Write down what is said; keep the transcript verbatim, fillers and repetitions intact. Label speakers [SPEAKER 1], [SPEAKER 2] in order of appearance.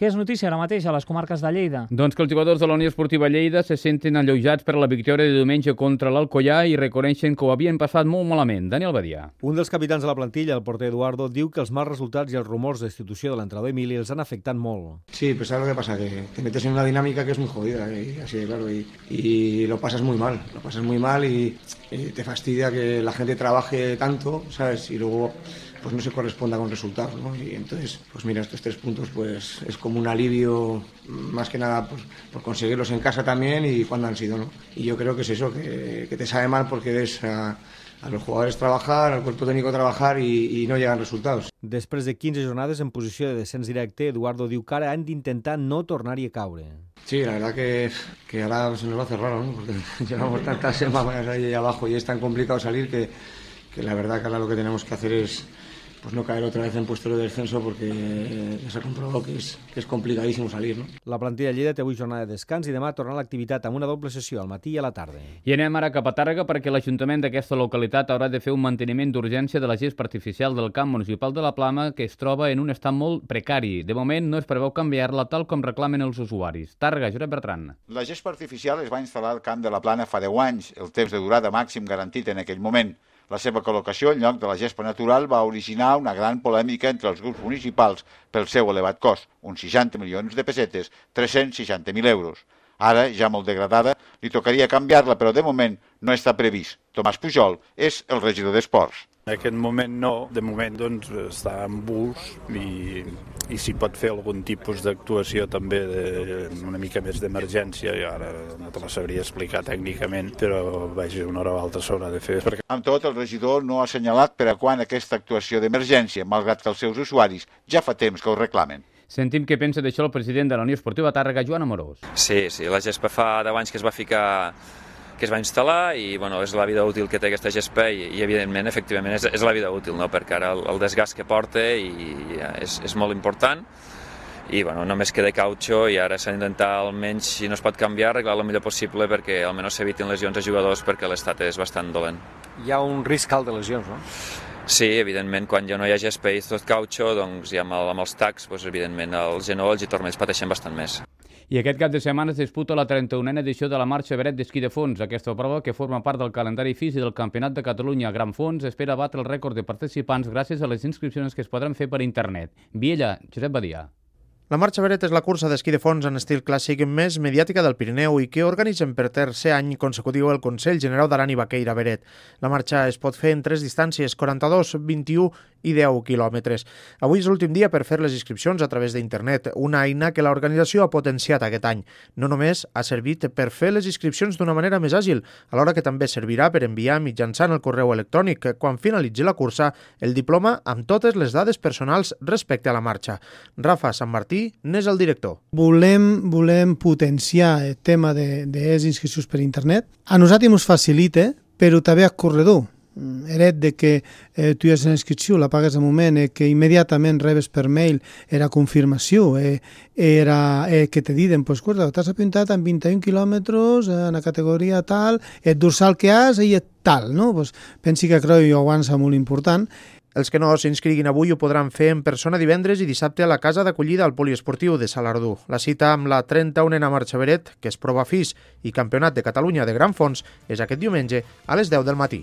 [SPEAKER 1] Què és notícia ara mateix a les comarques de Lleida?
[SPEAKER 2] Doncs que els jugadors de la Unió Esportiva Lleida se senten alleujats per la victòria de diumenge contra l'Alcoyà i reconeixen que ho havien passat molt malament. Daniel Badia.
[SPEAKER 3] Un dels capitans de la plantilla, el porter Eduardo, diu que els mals resultats i els rumors de destitució de l'entrenador Emili els han afectat molt.
[SPEAKER 4] Sí, pues ¿sabes lo que pasa? Que te metes en una dinámica que es muy jodida, y así de claro, y, y lo pasas muy mal, lo pasas muy mal y, y te fastidia que la gente trabaje tanto, ¿sabes? Y luego pues no se corresponda con resultados, ¿no? Y entonces, pues mira, estos tres puntos pues es como un alivio, más que nada pues, por conseguirlos en casa también y cuando han sido, ¿no? Y yo creo que es eso, que, que te sabe mal porque ves a, a los jugadores trabajar, al cuerpo técnico trabajar y, y no llegan resultados.
[SPEAKER 3] Després de quinze jornades en posició de descens directe, Eduardo diu que ara han d'intentar no tornar-hi a caure.
[SPEAKER 4] Sí, la verdad que, que ahora se nos va a hacer raro, ¿no? Porque llevamos tantas semanas ahí abajo y es tan complicado salir que, que la verdad que ahora lo que tenemos que hacer es pues no caer otra vez en puesto de descenso porque ya se ha comprobado que es, que es complicadísimo salir, ¿no?
[SPEAKER 3] La plantilla de Lleida té avui jornada de descans i demà tornarà a l'activitat amb una doble sessió al matí i a la tarda.
[SPEAKER 2] I anem ara cap a Tàrrega perquè l'Ajuntament d'aquesta localitat haurà de fer un manteniment d'urgència de la gespa artificial del camp municipal de la Plana que es troba en un estat molt precari. De moment no es preveu canviar-la tal com reclamen els usuaris. Tàrrega, Josep Bertran.
[SPEAKER 5] La gespa artificial es va instal·lar al camp de la Plana fa deu anys, el temps de durada màxim garantit en aquell moment. La seva col·locació en lloc de la gespa natural va originar una gran polèmica entre els grups municipals pel seu elevat cost, uns seixanta milions de pessetes, tres-cents seixanta mil euros. Ara, ja molt degradada, li tocaria canviar-la, però de moment no està previst. Tomàs Pujol és el regidor d'Esports.
[SPEAKER 6] En aquest moment no, de moment doncs, està en bus i, i s'hi pot fer algun tipus d'actuació també de, una mica més d'emergència, i ara no te la sabria explicar tècnicament, però vaja, una hora o altra s'haurà de fer. Perquè...
[SPEAKER 5] Amb tot, el regidor no ha assenyalat per a quan aquesta actuació d'emergència, malgrat que els seus usuaris ja fa temps que ho reclamen.
[SPEAKER 2] Sentim què pensa d'això el president de la Unió Esportiva Tàrrega, Joan Amorós.
[SPEAKER 7] Sí, sí, la gespa fa deu anys que es va ficar que es va instal·lar i bueno, és la vida útil que té aquesta gespa i, i evidentment, efectivament, és, és la vida útil, no? Perquè ara el, el desgast que porta i, és, és molt important i bueno, només queda cautxo i ara s'ha d'intentar almenys, si no es pot canviar, arreglar el millor possible perquè almenys s'evitin lesions a jugadors perquè l'estat és bastant dolent.
[SPEAKER 3] Hi ha un risc alt de lesions, no?
[SPEAKER 7] Sí, evidentment, quan ja no hi ha gespa i tot cautxo, doncs ja amb, el, amb els tacs, doncs, evidentment, els genolls i turmells pateixen bastant més.
[SPEAKER 2] I aquest cap de setmana es disputa la trenta-unena edició de la Marxa Beret d'esquí de fons. Aquesta prova, que forma part del calendari físic del Campionat de Catalunya Gran Fons, espera batre el rècord de participants gràcies a les inscripcions que es podran fer per internet. Viella, Josep Badia.
[SPEAKER 8] La Marxa Beret és la cursa d'esquí de fons en estil clàssic més mediàtica del Pirineu i que organitzen per tercer any consecutiu el Consell Generau d'Aran i Baqueira Beret. La marxa es pot fer en tres distàncies, quaranta-dos, vint-i-u i deu quilòmetres. Avui és l'últim dia per fer les inscripcions a través d'internet, una eina que l'organització ha potenciat aquest any. No només ha servit per fer les inscripcions d'una manera més àgil, alhora que també servirà per enviar mitjançant el correu electrònic, quan finalitzi la cursa, el diploma amb totes les dades personals respecte a la marxa. Rafa Sant Martí n'és el director.
[SPEAKER 9] Volem, volem potenciar el tema de, de les inscripcions per internet. A nosaltres ens facilita, però també al corredor. Eret de que eh, tu ja has una inscripció, la pagues al moment, eh, que immediatament rebes per mail era confirmació, eh, era eh, que te diuen, pues, escolta, t'has apuntat en vint-i-un quilòmetres, eh, en la categoria tal, el dorsal que has i tal, no? Pues, pensi que creu que ho avança molt important.
[SPEAKER 8] Els que no s'inscriguin avui ho podran fer en persona divendres i dissabte a la casa d'acollida al poliesportiu de Salardú. La cita amb la trenta-unena Marxa Beret, que és prova F I S i Campionat de Catalunya de Gran Fons, és aquest diumenge a les deu del matí.